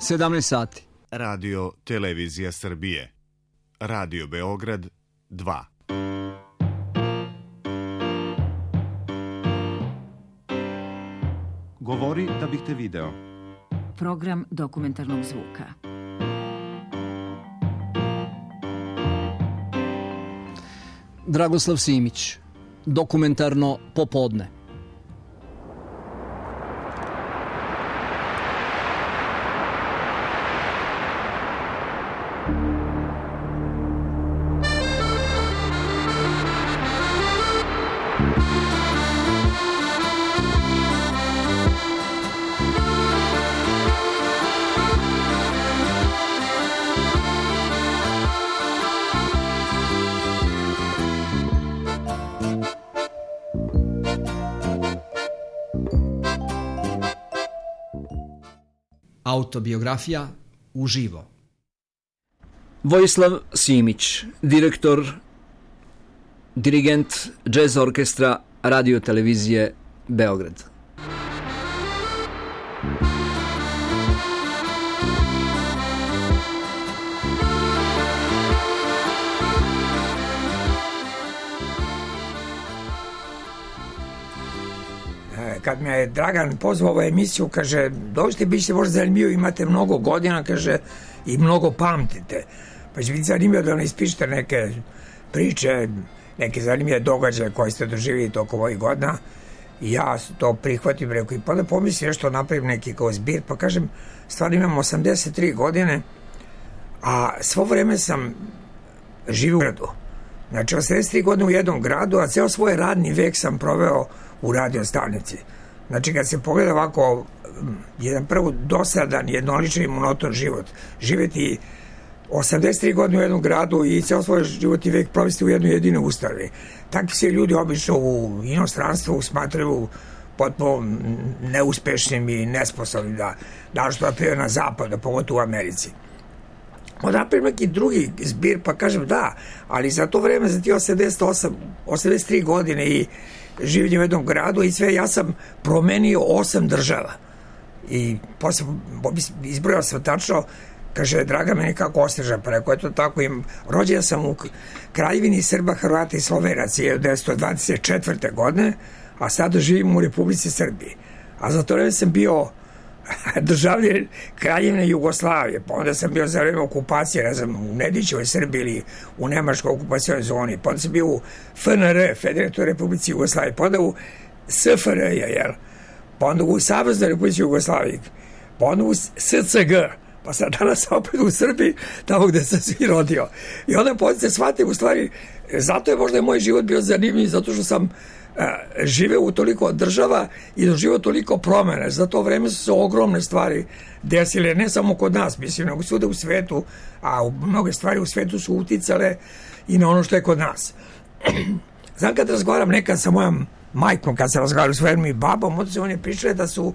17 sati. Radio Televizija Srbije. Radio Beograd 2. Govori da bih te video. Program dokumentarnog zvuka. Dragoslav Simić. Dokumentarno popodne. Autobiografija uživo. Vojislav Simić, dirigent džez orkestra Radio Televizije Beograd. Kad me je Dragan pozvao u emisiju, kaže, dođite, bit ćete možda zanimljivo, imate mnogo godina, kaže, i mnogo pamtite. Pa će biti zanimljivo da ne ispišete neke priče, neke zanimljive događaje koje ste doživjeli tokom ovih godina. I ja to prihvatim, rekao, i pa da pomislim nešto, napravim neki kao zbir, pa kažem, stvarno imam 83 godine, a svo vreme sam živio u gradu. Znači, 83 godine u jednom gradu, a ceo svoj radni vek sam proveo u radio stanici. Znači, kad se pogleda ovako jedan prvo dosadan, jednoličan i monoton život, živjeti 83 godine u jednom gradu i ceo svoj životni vek provesti u jednoj jedinoj ustanovi. Takvi se ljudi obično u inostranstvu smatraju potpuno neuspešnim i nesposobnim da što je na zapadu, pogotovo u Americi. Onda napravim neki drugi zbir, pa kažem da, ali za to vreme, za ti 83 godine i življenje u jednom gradu i sve, ja sam promenio 8 država. I posle izbrojao sam tačno, kaže, Draga me nekako osteža, pa rekao, eto tako, rođen sam u Kraljevini Srba, Hrvata i Slovenaca 1924. godine, a sada živim u Republici Srbiji. A za to vreme sam bio državljen Kraljevine Jugoslavije, pa onda sam bio za vreme okupacije, ne znam, u Nedićevoj Srbiji ili u Nemačkoj okupacijnoj zoni, pa onda sam bio u FNR, Federativnoj Republici Jugoslavije, pa onda u SFRJ, jel? Pa onda u Saveznoj Republici Jugoslavije, pa onda u SCG, pa sad danas opet u Srbiji, tamo gde sam se rodio. I onda se shvatim, u stvari, zato je možda moj život bio zanimljiv, zato što sam živeo u toliko država i doživeo toliko promene. Za to vreme su se ogromne stvari desile, ne samo kod nas, mislim, nego svuda u svetu, a mnoge stvari u svetu su uticale i na ono što je kod nas. Znam, kad razgovaram nekad sa mojom majkom, kad sam razgovarao s svojom i babom, onda se one pričale da su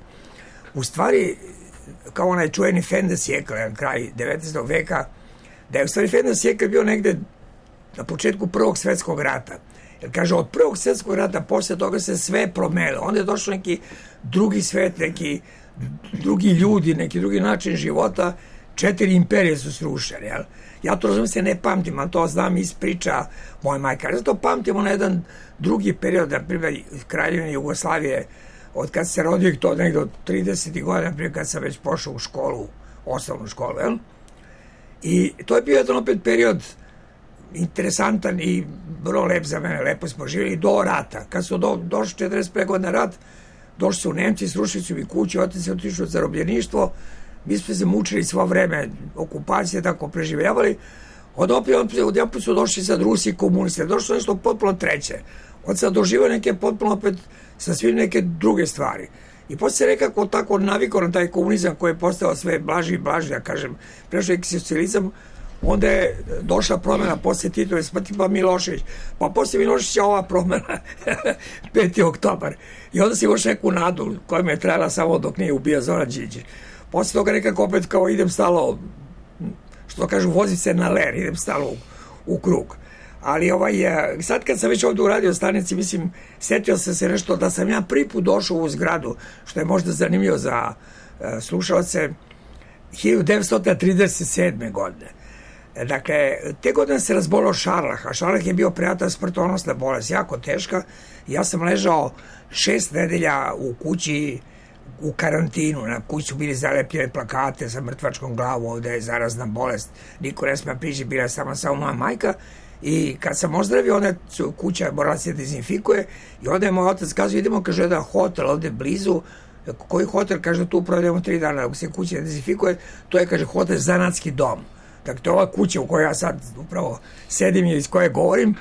u stvari, kao onaj čuveni Fendesjekl, kraj 19. veka, da je u stvari Fendesjekl bio negde na početku Prvog svjetskog rata. Jer kaže, od Prvog svjetskog rata posle toga se sve promenilo. Onda je došao neki drugi svet, neki drugi ljudi, neki drugi način života. 4 imperije su srušene. Jel? Ja to razumem se ne pamtim, a to znam iz priča moje majka. Zato pamtimo na jedan drugi period, na primjer, Kraljevine Jugoslavije, od kad se rodio to nekdo od 30. godina, na primjer, kad sam već pošao u školu, osnovnu školu. Jel? I to je bio jedan opet period interesantan i vrlo lep za mene, lepo smo živjeli do rata. Kad su došli 45 godina rat, došli su Nemci, srušili su mi kuću, otac se otišao u zarobljeništvo, mi smo se mučili svo vreme, okupacije, tako preživljavali. Odjedanput su došli sad Rusi i komunisti, došli su nešto potpuno treće. Od sad doživao neke potpuno opet sa svim neke druge stvari. I posle se nekako tako navikao na taj komunizam koji je postao sve blaži i blaži, ja kažem, prešao je socijalizam. Onda je došla promjena posle Titove smrti, pa Milošević. Pa posle Miloševića ova promjena, 5. oktobar. I onda si imaš neku nadu koja mi je trajala samo dok nije ubija Zoran Đinđić. Posle toga nekako opet kao idem stalo, što kažu, vozim se na ler, idem stalo u krug. Ali sad kad sam već ovdje u radio stanici, mislim, setio sam se nešto da sam ja prvi put došao u zgradu, što je možda zanimljivo za slušalce. 1937. godine. Dakle, te godine se razbolao Šarlah, a Šarlah je bio prijatelj smrtonosna bolest, jako teška. Ja sam ležao 6 nedelja u kući, u karantinu. Na kući su bili zalepljene plakate sa mrtvačkom glavom, ovde je zarazna bolest, niko ne sme prići, bila samo moja majka. I kad sam ozdravio, onda kuća morala se dezinfikuje i onda je moj otac kazao, idemo, kaže, jedan hotel ovde blizu. Koji hotel? Kaže, tu provedemo 3 dana, ako se kuća dezinfikuje, to je, kaže, hotel Zanatski dom. Dakle, to je ova kuća u kojoj ja sad upravo sedim i iz koje govorim.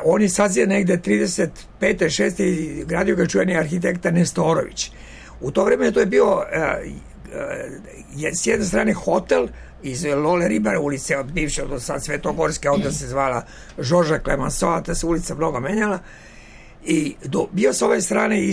On je sad negde 35. 6. i gradio ga čuveni arhitekta Nestorović. U to vreme to je bio s jedne strane hotel iz Lole Ribara ulice, od bivše, od sad Svetogorske, onda se zvala Žorža Clemenceau, ta se ulica mnogo menjala. I bio s ove strane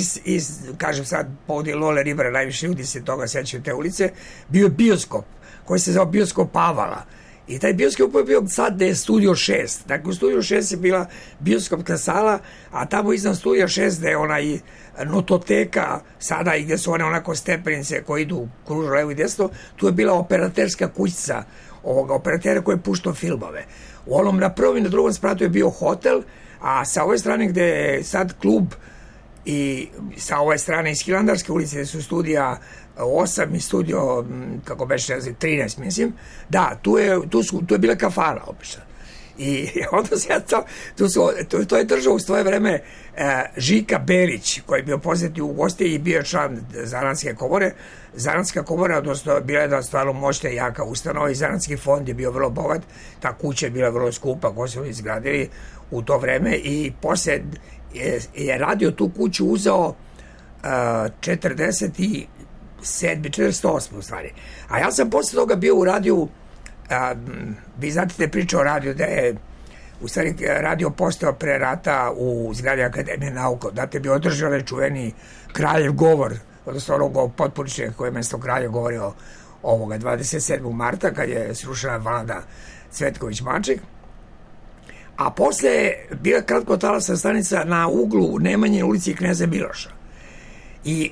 kažem sad, povodi Lole Ribara, najviše ljudi se toga sećaju te ulice, bio je bioskop koji se zvao Bioskop Avala. I taj bioskop je bio sad gde je Studio 6. Dakle, u Studio 6 je bila bioskopska sala, a tamo iznad Studio 6 gde je onaj nototeka sada i gde su one onako stepenice koje idu kružno levo i desno, tu je bila operaterska kućica ovoga operatera koji je puštao filmove. U onom na prvom i na drugom spratu je bio hotel, a sa ove strane gde je sad klub i sa ove strane iz Hilandarske ulice gde su studija 8 i studio, kako beše, 13, mislim. Da, tu je bila kafana obično. I onda se to je držao u svoje vreme Žika Berić, koji je bio poznati u gosti i bio član Zanatske komore. Zanatska komora, odnosno, bila je da stvarno moćna i jaka ustanova i Zanatski fond je bio vrlo bogat. Ta kuća je bila vrlo skupa, koju su izgradili u to vreme i posle je radio tu kuću uzeo 48 u stvari. A ja sam posle toga bio u radiju, vi znate te priče o radiju da je u stvari radio postao pre rata u zgradi Akademije nauka. Date bi održao onaj čuveni Kraljev govor, odnosno onog potporičnika koji je mesto Kralja govorio ovoga 27. marta kad je srušena Vlada Cvetković-Maček. A posle bila kratkotalasna stanica na uglu Nemanjine ulici i Kneza Miloša. I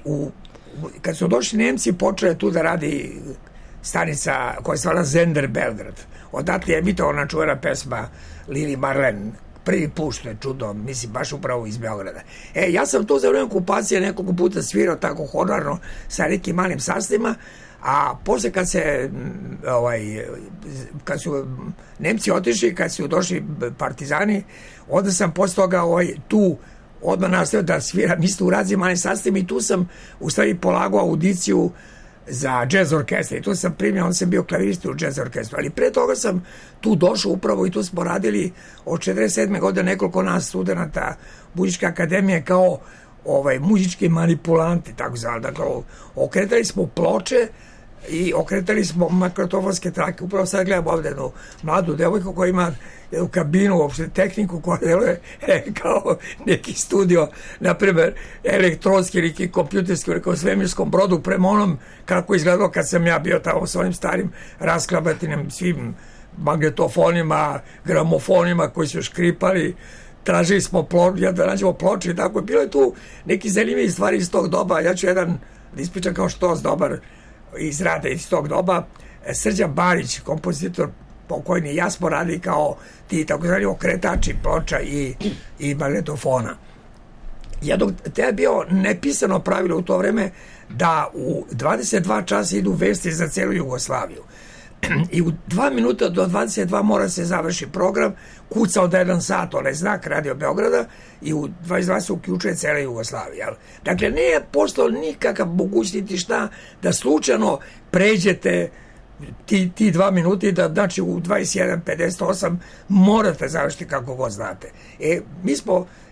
kad su došli Nemci, počela tu da radi stanica koja se zvala Zender Belgrad. Odatle je emitovana čuvena pesma Lili Marlen, prvi put, što je čudo, mislim, baš upravo iz Beograda. Ja sam tu za vreme okupacije nekoliko puta svirao tako honorarno sa nekim malim sastavima, a posle kad su Nemci otišli, kad su došli partizani, onda sam posle toga tu odmah nastavio da sviram isto u raznim malim sastavima i tu sam u stvari polagao audiciju za jazz orkestra i tu sam primio, onda sam bio klavirista u jazz orkestru, ali pre toga sam tu došao upravo i tu smo radili od 47. godine nekoliko nas studenta Muzičke akademije kao muzički manipulanti, tako zvali. Dakle, okretali smo ploče i okretali smo magnetofonske trake. Upravo sad gledam ovde jednu mladu devojku koja ima jednu kabinu, uopšte tehniku koja deluje kao neki studio, naprimer elektronski ili kompjuterski ili kao svemirskom brodu, prema onom kako izgledalo kad sam ja bio tamo s onim starim rasklabatinim svim magnetofonima, gramofonima koji su škripali. Tražili smo da nađemo ploče i tako. Bilo je tu neki zanimljivi stvari iz tog doba. Ja ću jedan da ispričam kao što dobar iz rada iz tog doba. Srđan Barić, kompozitor pokojni, ja smo radili kao ti takozvani okretači ploča i magnetofona. Te je bio nepisano pravilo u to vreme da u 22 časa idu vesti za celu Jugoslaviju. I u 2 minuta do 22 mora se završi program, kuca od 1 sat, onaj znak Radio Beograda i u 22 se uključuje cela Jugoslavija. Dakle, nije postao nikakav mogućnosti šta da slučajno pređete ti 2 minuta, da znači u 21:58 morate završiti kako god znate.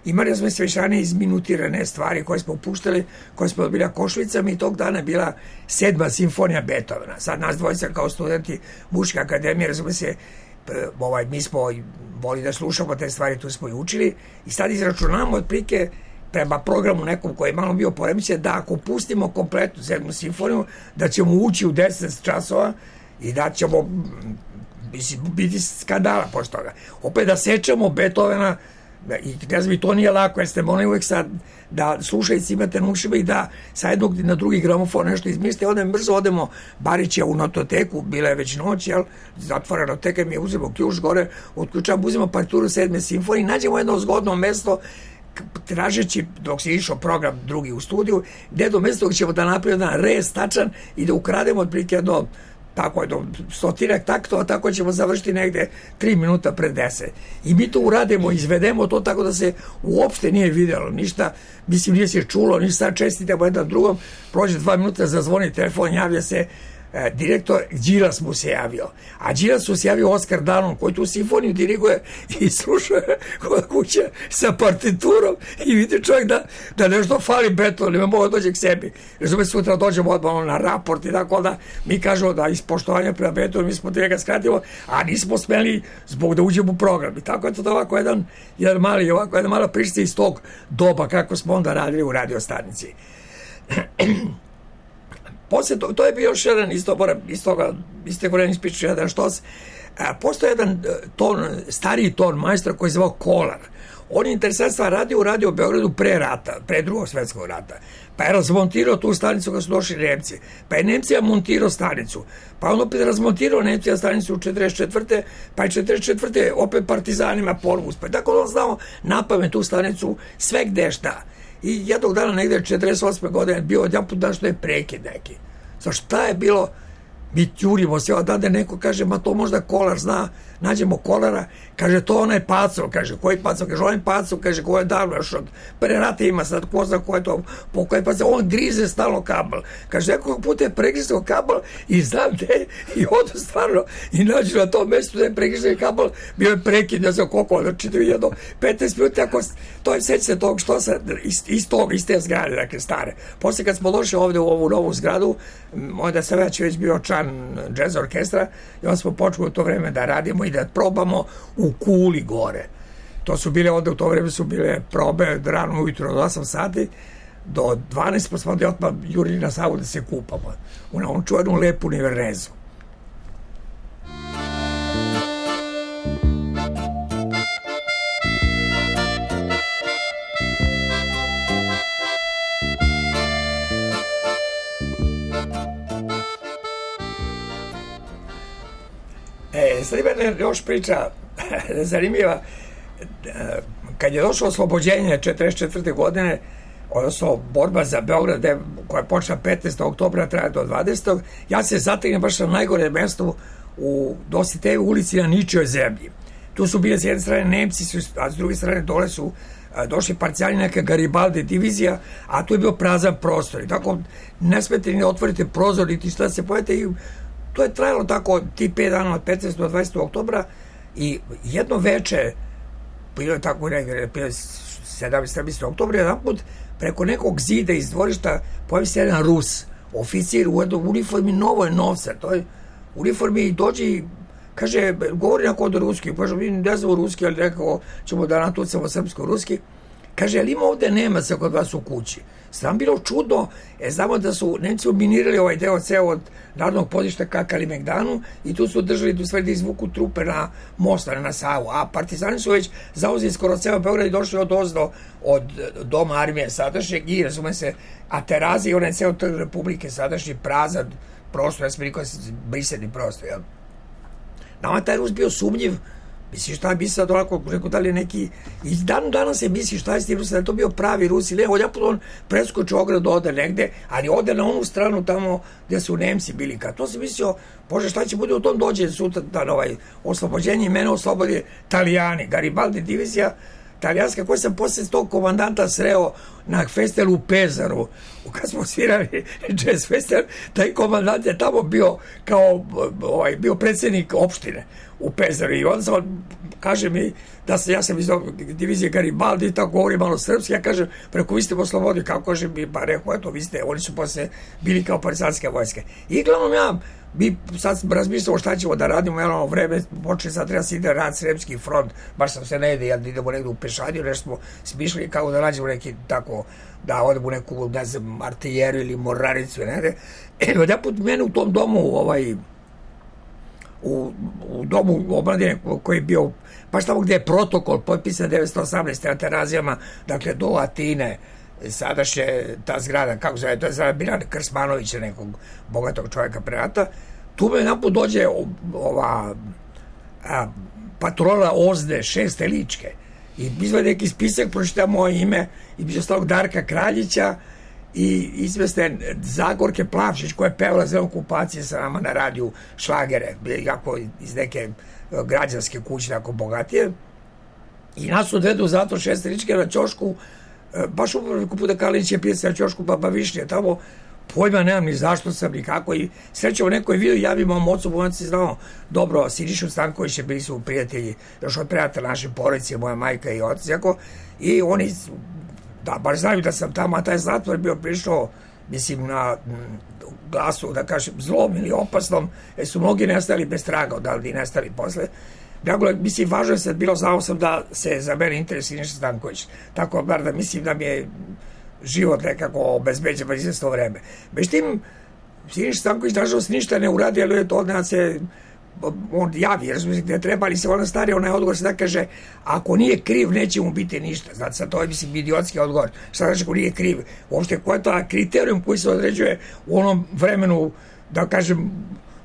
Imali smo svečane izminutirane stvari koje smo puštali, koje smo odbili Košvicama i tog dana je bila 7. simfonija Beethovena. Sad nas dvojica kao studenti Muzičke akademije, razume se, mi smo volili da slušamo te stvari, tu smo i učili i sad izračunamo otprilike prema programu nekom koji je malo bio poremećen da ako pustimo kompletnu 7. simfoniju, da ćemo ući u 10 časova i da ćemo biti skandala posle toga. Opet da sečemo Beethovena I ne znam, i to nije lako, jer ste morali uvek sad da slušajci imate na ušima i da sa jednog na drugi gramofon nešto izmislite, onda brzo odemo Barića u nototeku, bila je već noć, jel, zatvorena noteka, mi je uzemo ključ gore, otključamo, uzemo partituru 7. simfonije, nađemo jedno zgodno mesto, tražeći, dok se išao program drugi u studiju, gde do mesta ćemo da napravimo jedan rez tačan i da ukrademo otprilike jedno tako je, do 100 taktova, tako ćemo završiti negde 3 minuta pred 10. I mi to uradimo, izvedemo to tako da se uopšte nije videlo ništa, mislim nije se čulo, ništa, čestitamo jedan drugom, prođe 2 minuta, zazvoni telefon, javlja se direktor, Đilas mu se javio. A Đilas mu se javio Oskar Danon, koji tu simfoniju diriguje i slušuje kod kuće sa partiturom i vidi čovjek da nešto fali beton, ne mogu dođe k sebi. Razume, sutra dođemo odmah na raport i tako da mi kažemo da iz poštovanja prema betonu mi smo te ga skratimo, a nismo smeli zbog da uđemo u program. I tako je to ovako jedna mala priča iz tog doba kako smo onda radili u radio stanici. Posle to je bio još jedan iz te godine ispriču jedan štos. Postoje jedan stariji ton majstor koji je zvao Kolar. On je interesantno radio u Radio Beogradu pre rata, pre Drugog svetskog rata. Pa je razmontirao tu stanicu kad su došli Nemci. Pa je Nemcija montirao stanicu. Pa on opet razmontirao Nemcija stanicu u 44. Pa je 44. opet partizanima ponovo uspeo. Tako da on znao napamet tu stanicu sve gde šta. I jednog dana negde 48. godine bio odjedanput dan što je prekid neki. Sa šta je bilo? Mi tjurimo se, odande neko kaže, ma to možda Kolar zna, nađemo Kolara, kaže, to onaj Pacov, kaže, koji Pacov, kaže, onaj Pacov, kaže, ko je davno još od pre rata ima sad, ko zna ko je to, po koje Pacov, on grize stalno kabel, kaže, nekog puta je pregrizao kabel i znam gde, i odu stvarno, i nađu na tom mestu da je pregrizao kabel, bio je prekid, ne znam koliko, znači jedno 15 minuta, ako to je sećate tog što sa, iz te zgrade, dakle, stare. Posle kad smo došli ovde u ovu novu zgradu, onda sam već bio član jazz orkestra i onda smo počeli u to vreme da radimo i da probamo u Kuli gore. To su bile, onda u to vreme su bile probe rano ujutro od 8 sati do 12, pa smo onda odmah jurili na Savu da se kupamo. U ovom čuvenu lepu Nivernezu. Sad ima još priča zanimljiva. Kad je došlo oslobođenje 44. godine, odnosno borba za Beograd koja je počela 15. oktobra, traja do 20. ja se zategnem baš na najgore mesto u Dositejevoj ulici na ničijoj zemlji. Tu su bile s jedne strane Nemci, a s druge strane dole su došli parcijani neka Garibaldi divizija, a tu je bio prazan prostor. I tako ne smete ni da otvorite prozor, niti šta se pojete i to je trajalo tako ti 5 dana od 15. do 20. oktobra i jedno veče, bilo je tako negdje, 17. oktobra, jedan put preko nekog zida iz dvorišta pojavi se jedan Rus, oficir u jednoj uniformi, novo je novca, to je uniformi i dođe i kaže, govori na kod ruski, kaže, mi ne znamo ruski, ali nekako ćemo da natucamo srpsko-ruski, kaže, ali ima ovde Nemaca kod vas u kući. Sam bilo čudno, znamo da su Nemci minirali ovaj deo ceo od narodnog pozorišta ka Kalimegdanu i tu su držali da izvuku trupe na most, na Savu, a partizani su već zauzeli skoro ceo Beograd i došli od ozdo od doma armije sadašnjeg i razume se, a terazi i onaj ceo trg Republike sadašnji prazan prostor, ja sam rekao brisani prostor, jel? Nama taj Rus bio sumnjiv. Misliš šta bi sad onako, rekao da li je neki, i danas se misli šta je s tim Rusa, da je to bio pravi Rus ili ne, odjaput on preskoči ogradu, ode negde, ali ode na onu stranu tamo gde su Nemci bili. Kad to se mislio, bože šta će bude u tom, dođe sutra na ovaj oslobođenje i mene oslobodi Italijani, Garibaldi divizija talijanska, koji sam posle tog komandanta sreo na festivalu u Pezaru, kad smo svirali jazz festival, taj komandant je tamo bio kao bio predsjednik opštine u Pezaru i onda sam, kaže mi da ja sam iz divizije Garibaldi i tako govori malo srpski, ja kažem, preko vi ste oslobodili, kako kaže mi, pa rekao, eto, vi ste, oni su posle bili kao partizanske vojske. I glavnom mi sad razmišljamo šta ćemo da radimo, jedno vreme počeli sad treba se ide rad Sremski front, baš sam se ne ide, ja idemo negde u pešadiju, nešto smo smišljali kako da nađemo neki tako, da odemo u neku, ne znam, artiljeru ili mornaricu, ne. Odjaput mene u tom domu u domu omladine koji je bio baš tamo gde je protokol potpisan 1918. na Terazijama, dakle do Atine, sadašnje ta zgrada, kako zove, to je zgrada Biljana Krsmanovića, nekog bogatog čovjeka pre rata. Tu me naput dođe ova patrola Ozde, 6. ličke, i izvede neki spisak, pročita moje ime, i biće ostalog Darka Kraljića i izveste Zagorke Plavšić, koja je pevala za okupacije sa nama na radiju šlagere, jako iz neke građanske kuće, tako bogatije. I nas odvedu u zatvor 6. ličke na ćošku, baš upravo puta Kalinić je pisao na ćošku Baba Višnje, tamo pojma nemam ni zašto sam, ni kako, i srećemo nekoj vidio, javimo mom ocu, on se znao dobro, Sinišu Stankovića, bili su prijatelji, još od prijatelja naše porodice, moja majka i otac, jako, i oni, da, baš znaju da sam tamo, a taj zatvor bio prišao, mislim, na glasu, da kažem, zlom ili opasnom, jer su mnogi nestali bez traga, odavde i nestali posle. Dakle, mislim, važno je sad bilo, znao sam da se za mene interes Siniša Stanković, tako bar da mislim da mi je život nekako obezbeđen izvesno vreme. Međutim, Siniša Stanković nažalost ništa ne uradi, ali je to odnad se on javi, razumijete, gde treba, ali se ona stari, onaj odgovor se da kaže, ako nije kriv, neće mu biti ništa. Znate, sad to je, mislim, idiotski odgovor. Šta znači ako nije kriv? Uopšte, ko je to kriterijum koji se određuje u onom vremenu, da kažem,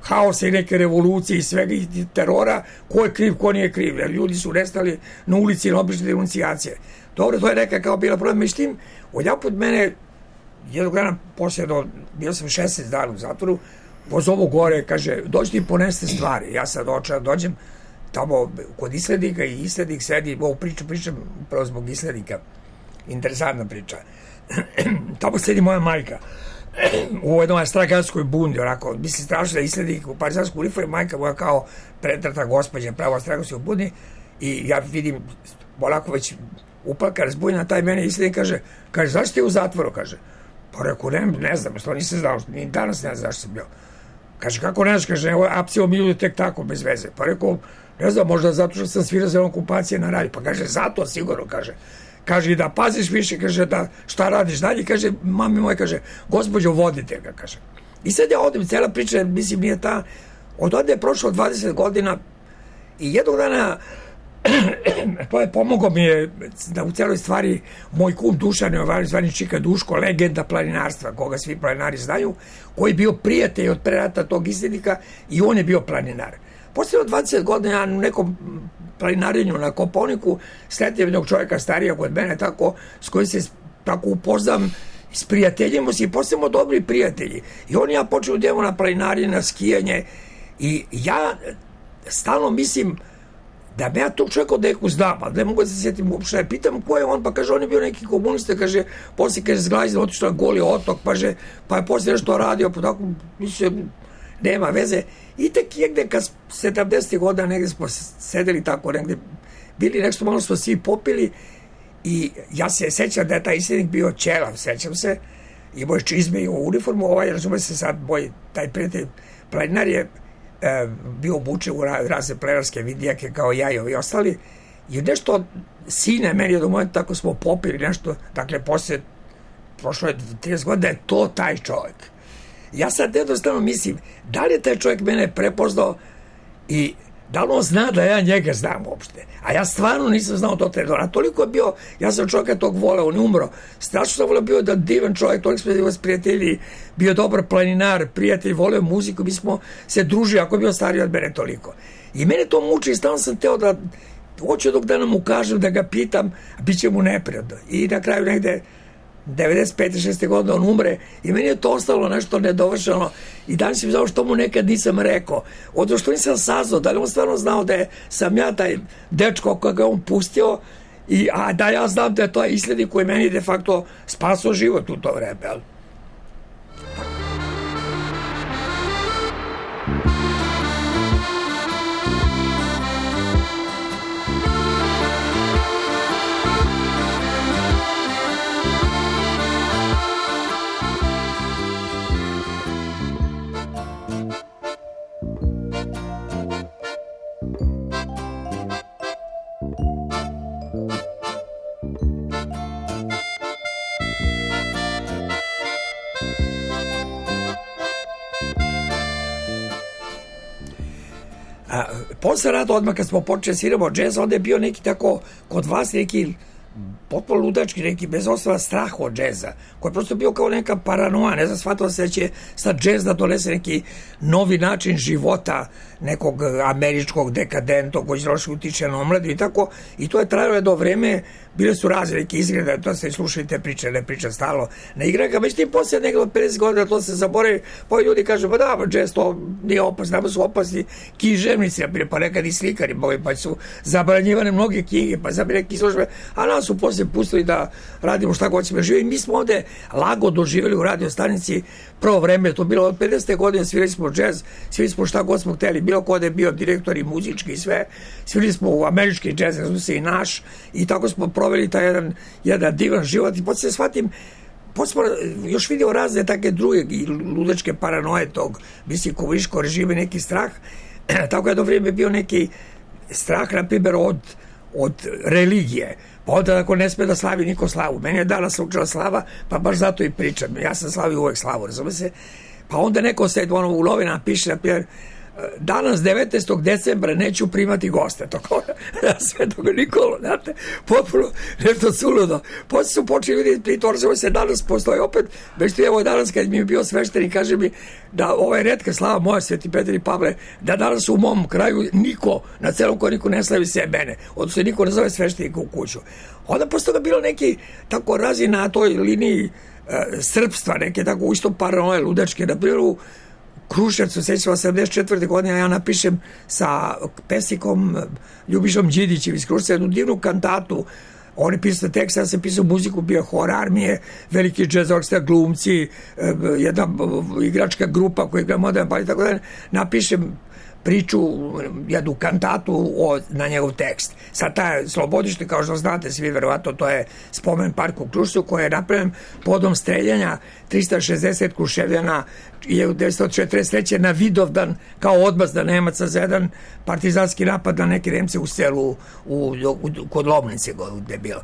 haosa i neke revolucije i svega i terora, ko je kriv, ko nije kriv? Jer ljudi su nestali na ulici na obične denuncijacije. Dobro, to je neka kao bila problem. Međutim, odjaput mene, jednog dana poslije, bio sam 16 dana u zatvoru, pozovu gore, kaže, dođite i poneste stvari. Ja sad dođem tamo kod islednika i islednik sedi, ovu pričam upravo zbog islednika. Interesantna priča. Tamo sedi moja majka u jednoj straganskoj bundi, onako, mislim strašno da islednik u partizansku uniformu, majka moja kao pretrata gospođa, pravo straganskoj bundi, i ja vidim, onako već uplaka, razbunjena, taj mene islednik kaže, zašto je u zatvoru, kaže. Pa rekao, ne znam, što nisam znao, ni danas ne znam zašto sam bio. Kaže, kako ne znaš, kaže, evo, apsio miluje tek tako, bez veze. Pa rekao, ne znam, možda zato što sam svirao za okupacije na radiju. Pa kaže, zato sigurno, kaže. Kaže, i da paziš više, kaže, da šta radiš dalje, kaže, mami moja, kaže, gospođo, vodite ga, kaže. I sad ja odim, cela priča, mislim, nije ta, od onda je prošlo 20 godina i jednog dana pomogao mi je da u celoj stvari moj kum Dušan Jovanović, zvani Čika Duško, legenda planinarstva, koga svi planinari znaju, koji je bio prijatelj od pre rata tog islednika i on je bio planinar. Posle 20 godina ja u nekom planinarenju na Kopaoniku sretnem jednog čovjeka starija kod mene, tako, s kojim se tako upoznam, sprijateljimo se i postajemo dobri prijatelji. I on i ja počeo da idemo na planinarenje, na skijanje, i ja stalno mislim da me ja tog čovjeka od neku znam, ali ne mogu da se sjetim uopšte. Pitam ko je on, pa kaže, on je bio neki komunista, kaže, poslije kaže, zglazio, otišao na Goli otok, pa je poslije nešto radio, pa tako, mislim, nema veze. I tek negde, kad 70. godina, negde smo sedeli tako, negde, bili nešto, malo smo svi popili, i ja se sećam da je taj islednik bio ćelav, sećam se, i moj čizme i u uniformu, razume se sad, taj prijatelj planinar je bio obučen u razne plenarske vidijake kao ja i ovi ostali, i nešto sine meni od momenta tako smo popili nešto, dakle prošlo je 30 godina, je to taj čovjek. Ja sad jednostavno mislim, da li je taj čovjek mene prepoznao i da li on zna da ja njega znam uopšte, a ja stvarno nisam znao to trenutka, a toliko je bio, ja sam čovjeka tog voleo, on je umro, strašno sam voleo, bio da divan čovjek, toliko smo vas prijatelji, bio dobar planinar, prijatelj, voleo muziku, mi smo se družili, ako je bio stariji od mene toliko. I mene to muči i stalno sam teo da hoću dok dana mu kažem, da ga pitam, a bit će mu neprijatno. I na kraju negde 95. 6. godine on umre i meni je to ostalo nešto nedovršeno i danas mi znao što mu nekad nisam rekao, odnosno što nisam saznao, da li on stvarno znao da sam ja taj dečko koga on pustio, a da ja znam da je to islednik koji meni de facto spasao život u to vreme, ali Posle rata, odmah kad smo počeli sviramo džez, onda je bio neki tako, kod vas neki potpuno ludački, neki bez osnova strah od džeza, koji je prosto bio kao neka paranoja, ne znam, shvatilo se da će sad džez da donese neki novi način života nekog američkog dekadentog koji će utiče na omladu i tako, i to je trajalo do vreme, bile su razne neke izgrede, to se slušajte priče, ne priča stalo na igraka, već tim poslije nekdo od 50 godina to se zaboravi, pa ljudi kažu, pa da, džez to nije opasno, nama su opasni književnici, pa nekad i slikari, pa su zabranjivane mnoge knjige, pa zabranjivane neke službe, a nas su poslije pustili da radimo šta god ćemo živjeti. Mi smo ovde lago doživjeli u radio stanici prvo vreme, to bilo od 50. godine, svirali smo džez, svirali smo šta god smo hteli, bilo ko da je bio direktor i muzički i sve, svirali smo u američki džez, ne znam se i naš, i tako smo proveli taj jedan divan život i poslije shvatim, smo još vidio razne takve druge i ludačke paranoje tog, mislim, komunističkog režima, neki strah, tako je do vrijeme bio neki strah, na primjer, od religije. Pa onda ako ne sme da slavi niko slavu. Meni je danas slučila slava, pa baš zato i pričam. Ja sam slavio uvek slavu, razume se. Pa onda neko se u novinama piše, na primjer, danas 19. decembra neću primati goste. To kao Svetog Nikolu, znate, potpuno nešto suludo. Poslije su počeli ljudi pritorzamo se, danas postoji opet, već evo danas kad mi je bio sveštenik, kaže mi da ovo je retka slava moja, Sveti Petar i Pavle, da danas u mom kraju niko, na celom koriku ne slavi se mene, odnosno niko ne zove sveštenika u kuću. Onda posle toga bilo neki tako razi na toj liniji srpstva, neke tako isto paranoje ludačke, na primjer u Kruševcu, sećam 84. godine, ja napišem sa pesnikom Ljubišom Đidićem iz Kruševca jednu divnu kantatu. On je pisao tekst, ja sam pisao muziku, bio hor armije, veliki džez orkestar, glumci, jedna igračka grupa koja igra modern bal i tako da napišem priču, jednu kantatu na njegov tekst. Sad taj Slobodište, kao što znate svi verovatno, to je spomen park u Kruševcu koji je napravljen podom streljanja 360 Kruševljana 1943. na Vidovdan kao odmazda Nemaca za jedan partizanski napad na neke Nemce u selu kod Lomnice gde je bilo.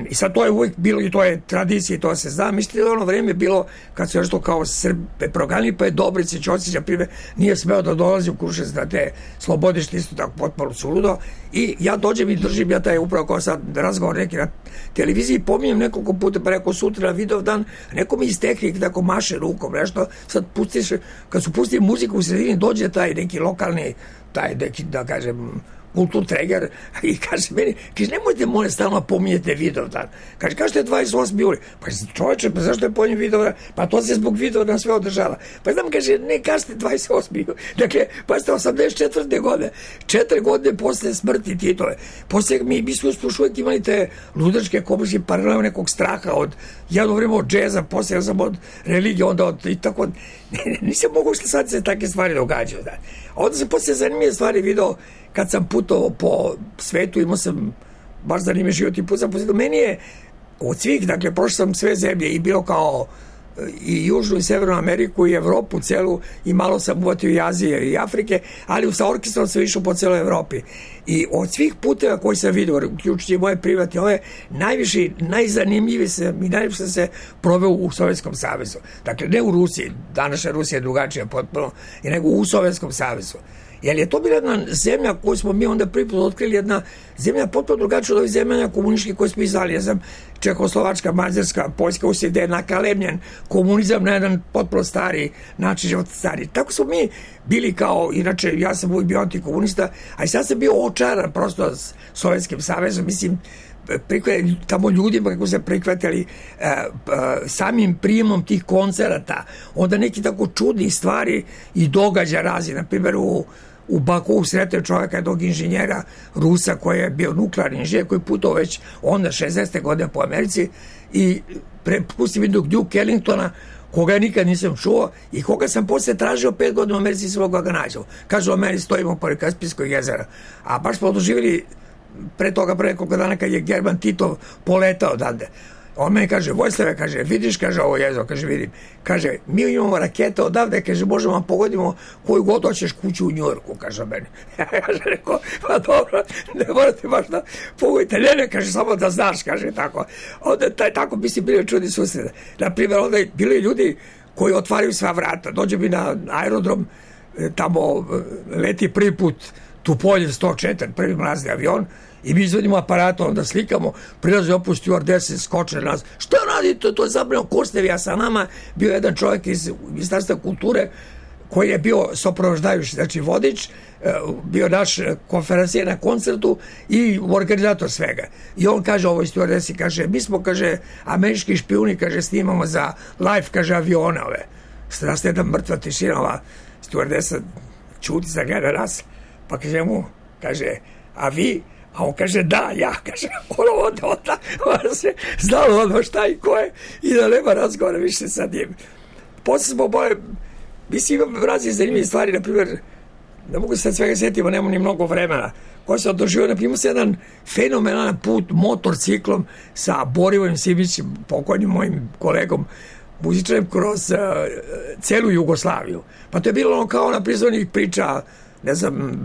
I sad to je uvijek bilo i to je tradicija i to se zna. Mislite da ono vreme bilo kad su nešto kao Srbe proganili, pa je Dobrice Ćosića prime nije smeo da dolazi u Kruševac da te Slobodište isto tako potpuno suludo i ja dođem i držim ja taj upravo kao sad razgovor neki na televiziji, pominjem nekoliko puta, pa rekao sutra na Vidovdan, neko mi iz tehnike tako maše rukom, nešto, sad pustiš, kad su pustili muziku u sredini dođe taj neki lokalni, taj neki, da kažem, kulturtreger i kaže meni, kaže, nemojte molim stalno pominjete Vidovdan. Kaže, kažete 28. juli. Pa čovječe, pa zašto je pominjem Vidovdan? Pa to se zbog Vidovdan sve održava. Pa znam, kaže, ne kažete 28. juli. Dakle, pa ste 84. godine, 4 godine posle smrti Titove. Posle mi smo uvijek imali te ludačke komunističke paralele nekog straha od jedno vreme od džeza, posle sam od religije, onda od i tako. Nisam mogu što sad se takve stvari događaju. Da. Onda sam posle zanimljive stvari video kad sam putovao po svetu, imao sam baš zanimljiv život i put sam posjetio. Meni je od svih, dakle, prošao sam sve zemlje i bilo kao i Južnu i Severnu Ameriku i Evropu celu i malo sam uvatio i Azije i Afrike, ali sa orkestrom sam išao po celoj Evropi. I od svih puteva koji sam vidio, uključujući moje privatne, ove najviše, najzanimljiviji i najviše sam se proveo u Sovjetskom savezu. Dakle, ne u Rusiji, današnja Rusija je drugačija potpuno, nego u Sovjetskom savezu. Jer je to bila jedna zemlja koju smo mi onda prvi put otkrili, jedna zemlja potpuno drugačija od ovih zemlja komunističkih koje smo izdali. Ja znam, Čehoslovačka, Mađarska, Poljska, usije gde je nakalemljen komunizam na jedan potpuno stari način života stari. Tako smo mi bili kao, inače ja sam uvijek bio antikomunista, a i sad sam bio očaran prosto s Sovjetskim savezom, mislim, tamo ljudima kako se prihvatili samim prijemom tih koncerata, onda neki tako čudni stvari i događa razi, na primjer u Baku sretio čovjeka jednog inženjera Rusa koji je bio nuklearni inženjer koji putao već onda 60. godine po Americi i prepustio mi Duke Ellingtona koga ja nikad nisam čuo i koga sam posle tražio 5 godina u Americi i svog ga nađao. Kažu, u meni stojimo pored Kaspijskog jezera, a baš smo doživjeli pre toga, pre nekoliko dana kad je German Titov poletao odande. On meni kaže, Vojslave, kaže, vidiš, kaže, ovo jezero, kaže, vidim. Kaže, mi imamo rakete odavde, kaže, možemo vam pogodimo koju god hoćeš kuću u Njujorku, kaže meni. Ja kaže, rekao, pa dobro, ne morate baš da pogodite, ne, kaže, samo da znaš, kaže, tako. Onda tako bi si bili čudni susrede. Naprimjer, onda bili ljudi koji otvaraju sva vrata. Dođe mi na aerodrom tamo leti prvi put Tupoljev 104, prvi mlazni avion, i mi izvodimo aparatom da slikamo, prilazi opet stewardese, skoče na nas, šta radite, to je zabrano Kostevi, a sa nama bio jedan čovjek iz Ministarstva kulture koji je bio soprovoždajući, znači vodič, bio naš konferencijer na koncertu i organizator svega. I on kaže ovoj stewardesi, kaže, mi smo, kaže, američki špijuni, kaže, snimamo za live, kaže, avione ove. Nastaje jedna mrtva tišina, ova stewardesa čuti, zagleda nas, pa kaže mu, kaže, a vi? A on kaže, da, ja, kaže, ona se znalo ono šta i ko je i da nema razgovora više sa njim. Posle smo boje, mislim, imam različite zanimljive stvari, na primjer, ne mogu se sad svega sjetiti, nemam ni mnogo vremena, koji se održio, na primjer, jedan fenomenalan put motorciklom sa Borivojem Simićem, pokojnim mojim kolegom, muzičarem, kroz celu Jugoslaviju. Pa to je bilo ono kao na prizornih priča, ne znam,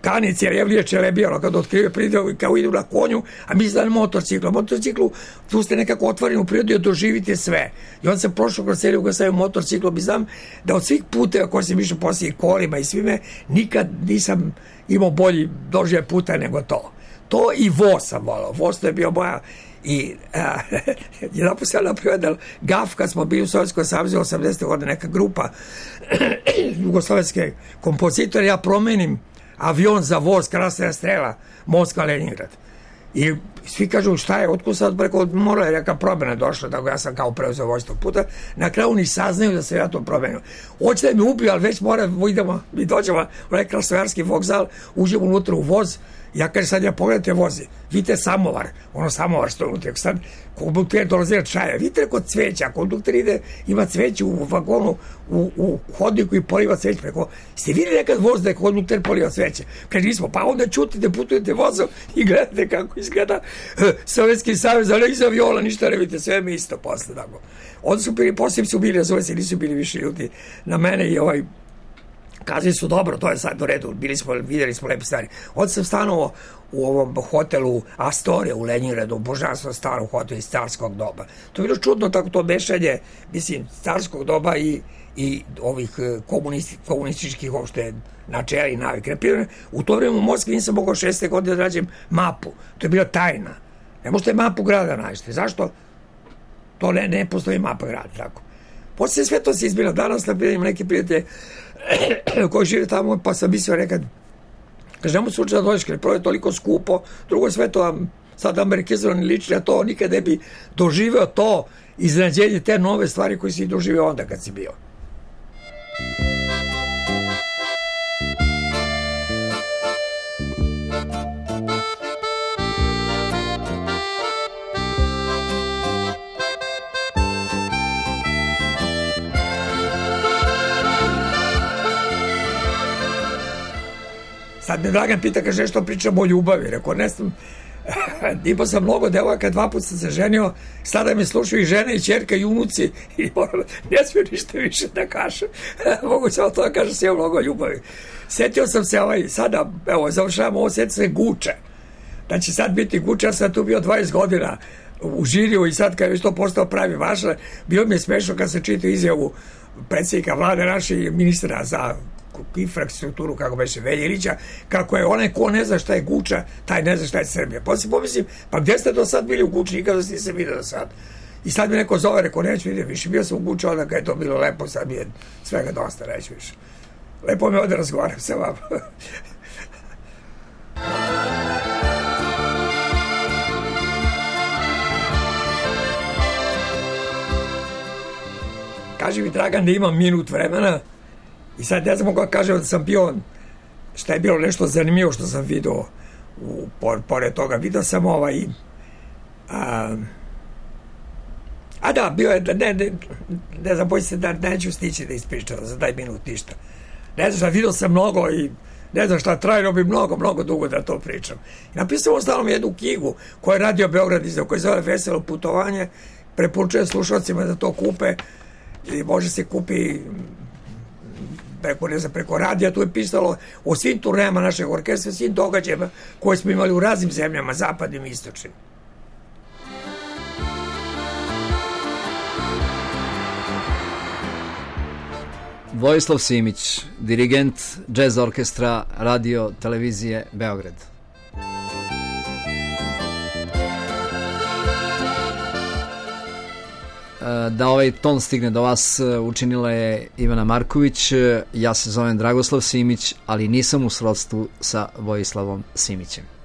Kanici, Jevlije Čelebija, ono kad otkrije prirodu, kao idu na konju, a mi znali motociklu. Motociklu, tu ste nekako otvoreni u prirodu i doživite sve. I on se prošao kroz cijelu Jugoslaviju motociklom i znam da od svih puteva koji sam išao poslije i kolima i svime, nikad nisam imao bolji doživljaj puta nego to. To i voz sam volao. Voz to je bio moja i jedan put sam napravio gaf kad smo bili u Sovjetskom savezu 80. godine, neka grupa jugoslovenske kompozitore, ja promenim avion za voz, Krasna strela, Moskva, Leningrad. I svi kažu šta je, otkud sad, preko mora je neka promjena došla, tako ja sam kao preuzeo voz tog puta. Na kraju ni saznaju da se ja to promenio. Hoće da mi ubiju, ali već idemo, mi dođemo u onaj Krasnojarski vokzal, uđemo unutra u voz, ja kažem sad ja pogledajte vozi, vidite samovar, ono samovar stoji unutra, sad kondukter dolazi od čaja, vidite kod cveća, kondukter ide, ima cveće u vagonu, u hodniku i poliva cveće, preko, ste vidjeli nekad voz da je kondukter poliva cveće? Kaže nismo, pa onda čutite, putujete vozom i gledate kako izgleda Sovjetski savez, ali iz aviola ništa ne vidite, sve mi isto posle, tako. Onda su bili, poslije su bili, razove se, nisu bili više ljudi na mene i kazali su dobro, to je sad u redu, vidjeli smo lepe stvari. Onda sam stanovao u ovom hotelu Astoria u Leningradu, božanstvo starom hotelu iz carskog doba. To je bilo čudno, tako to mešanje, mislim, carskog doba i ovih komunističkih uopšte načela i navike. U to vrijeme u Moskvi nisam mogao 6. godine da rađem mapu. To je bila tajna. Ne možete mapu grada naći. Zašto? To ne postoji mapa grada, tako. Poslije sve to se izbilo. Danas napravim neki prijatelj koji žive tamo, pa sam mislio nekad, kaže, nemo slučaj da dođeš, jer prvo je toliko skupo, drugo sve to sad amerikizovani liči, a to nikad ne bi doživeo to iznenađenje, te nove stvari koje si doživeo onda kad si bio. Sad me Dragan pita, kaže, što pričamo o ljubavi. Rekao, ne znam, imao sam mnogo devojaka, 2 puta sam se ženio, sada me slušaju i žene i ćerka i unuci i ne smiju ništa više da kažem. Mogu samo to da kažem, sve mnogo ljubavi. Sjetio sam se, sada, evo, završavam ovo, sjetio se Guče. Da će sad biti Guče, ja sam tu bio 20 godina u žiriju i sad kad je već to postao pravi vaša, bilo mi je smešno kad se čitao izjavu predsjednika vlade naših ministra za infrastrukturu, kako beše, Veljirića, kako je onaj ko ne zna šta je Guča, taj ne zna šta je Srbija. Pa se pomislim, pa gdje ste do sad bili u Guči, nikada niste vidio do sad. I sad mi neko zove, rekao, neću vidjeti više, bio sam u Guči, onda kad je to bilo lepo, sad mi je svega dosta, neću više. Lepo me ovdje razgovaram sa vama. Kaži mi, Dragan, da imam minut vremena. I sad ne znam mogu kažem da sam bio, šta je bilo nešto zanimljivo što sam vidio, pored toga, vidio sam bio je, ne znam, bojim se da neću stići da ispričam za taj minut ništa. Ne znam, vidio sam mnogo i ne znam šta, trajno bi mnogo dugo da to pričam. I napisao ostalom jednu knjigu koju je Radio Beograd izdao, koja se zove Veselo putovanje, preporučujem slušalcima da to kupe i može se kupi preko radija. Tu je pisalo o svim turnejama našeg orkestra, svim događajima koje smo imali u raznim zemljama, zapadnim i istočnim. Vojislav Simić, dirigent Jazz orkestra Radio Televizije Beograd. Da ovaj ton stigne do vas učinila je Ivana Marković. Ja se zovem Dragoslav Simić, ali nisam u srodstvu sa Vojislavom Simićem.